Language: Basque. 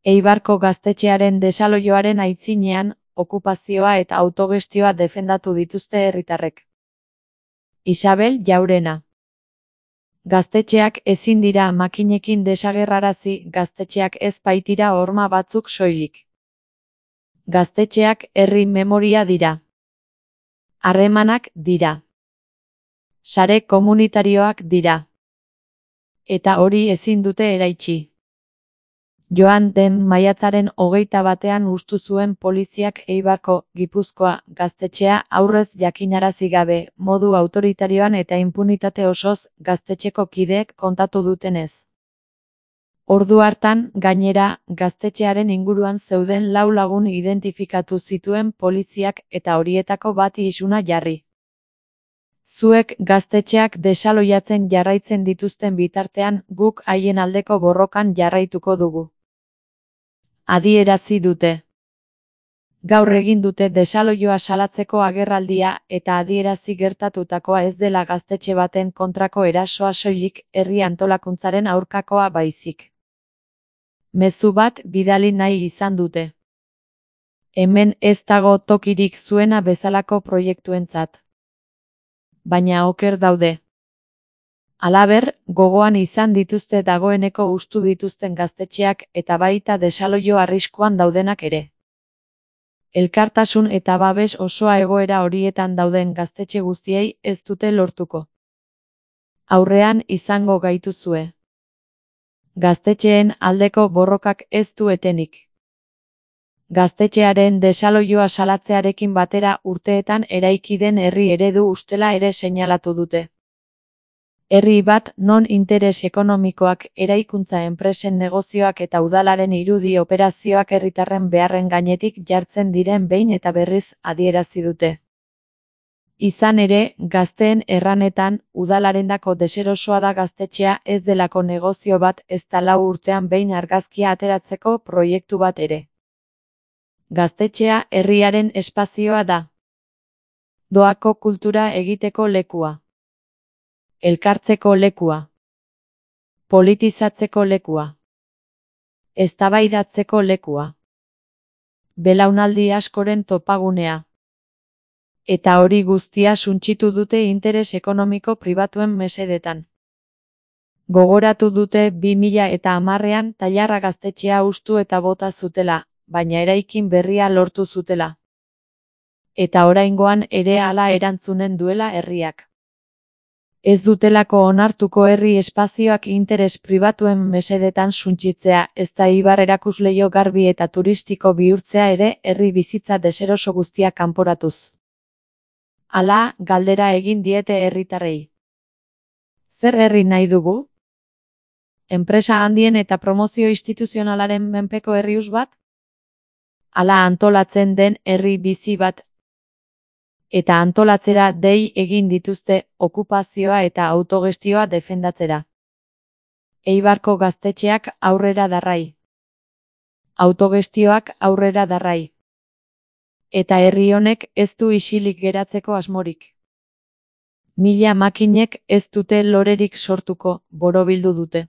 Eibarko gaztetxearen desaloioaren aitzinean, okupazioa eta autogestioa defendatu dituzte herritarrek. Isabel Jaurena. Gaztetxeak ezin dira makinekin desagerrarazi, gaztetxeak ez baitira horma batzuk soilik. Gaztetxeak herri memoria dira. Harremanak dira. Sare komunitarioak dira. Eta hori ezin dute eraitsi. Joan den maiatzaren 21 hustu zuen poliziak Eibarko, Gipuzkoa, gaztetxea aurrez jakinarazi gabe, modu autoritarioan eta inpunitate osoz, gaztetxeko kideek kontatu dutenez. Ordu hartan, gainera, gaztetxearen inguruan zeuden 4 lagun identifikatu zituen poliziak eta horietako bati isuna jarri. Zuek gaztetxeak desaloiatzen jarraitzen dituzten bitartean, guk haien aldeko borrokan jarraituko dugu. Adierazi dute. Gaur egin dute desaloioa salatzeko agerraldia eta adierazi gertatutakoa ez dela gaztetxe baten kontrako erasoa soilik, herri antolakuntzaren aurkakoa baizik. Mezu bat bidali nahi izan dute. Hemen ez dago tokirik zuena bezalako proiektuentzat. Baina oker daude. Halaber, gogoan izan dituzte dagoeneko hustu dituzten gaztetxeak eta baita desaloio arriskuan daudenak ere. Elkartasun eta babes osoa egoera horietan dauden gaztetxe guztiei ez dute lortuko. Aurrean izango gaituzue. Gaztetxeen aldeko borrokak ez du etenik. Gaztetxearen desaloioa salatzearekin batera urteetan eraiki den herri eredu ustela ere seinalatu dute. Herri bat non interes ekonomikoak, eraikuntza enpresen negozioak eta udalaren irudi operazioak herritarren beharren gainetik jartzen diren behin eta berriz adierazi dute. Izan ere, gazteen erranetan, udalarendako deserosoa da gaztetxea ez delako negozio bat ezta 4 urtean behin argazkia ateratzeko proiektu bat ere. Gaztetxea herriaren espazioa da. Doako kultura egiteko lekua. Elkartzeko lekua. Politizatzeko lekua. Eztabaidatzeko lekua. Belaunaldi askoren topagunea. Eta hori guztia suntsitu dute interes ekonomiko pribatuen mesedetan. Gogoratu dute 2010ean Tailarra gaztetxea hustu eta bota zutela, baina eraikin berria lortu zutela. Eta oraingoan ere hala erantzunen duela herriak. Ez dutelako onartuko herri espazioak interes pribatuen mesedetan suntsitzea, ezta Eibar erakusleio garbi eta turistiko bihurtzea ere herri bizitza deseroso guztia kanporatuz. Hala, galdera egin diete herritarrei. Zer herri nahi dugu? Enpresa handien eta promozio instituzionalaren menpeko herrius bat? Hala antolatzen den herri bizi bat? Eta antolatzera dei egin dituzte okupazioa eta autogestioa defendatzera. Eibarko gaztetxeak aurrera darrai. Autogestioak aurrera darrai. Eta herri honek ez du isilik geratzeko asmorik. 1000 makinek ez dute lorerik sortuko, borobildu dute.